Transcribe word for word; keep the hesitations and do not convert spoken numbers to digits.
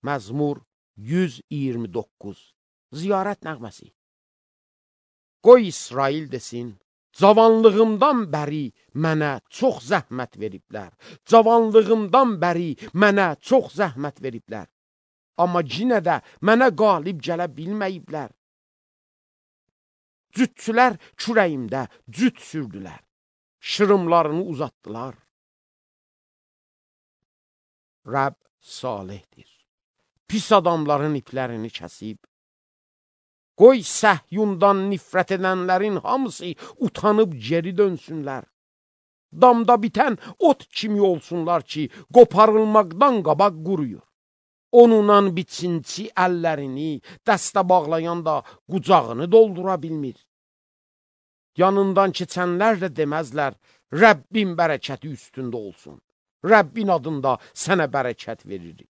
Məzmur yüz iyirmi doqquz. Ziyarət nəğməsi. Qoy İsrail desin, cavanlığımdan bəri mənə çox zəhmət veriblər. Cavanlığımdan bəri mənə çox zəhmət veriblər. Amma yenə də mənə qalib gələ bilməyiblər. Cütçülər kürəyimdə cüt sürdülər. Şırımlarını uzatdılar. Rəbb salihdir. Pis adamların iplərini kəsib. Qoy Səhyundan nifrət edənlərin hamısı utanıb geri dönsünlər. Damda bitən ot kimi olsunlar ki, qoparılmaqdan qabaq quruyur. Onunla biçinci əllərini dəstə bağlayan da qucağını doldura bilmir. Yanından keçənlər də deməzlər, Rəbbin bərəkəti üstündə olsun. Rəbbin adında sənə bərəkət veririk.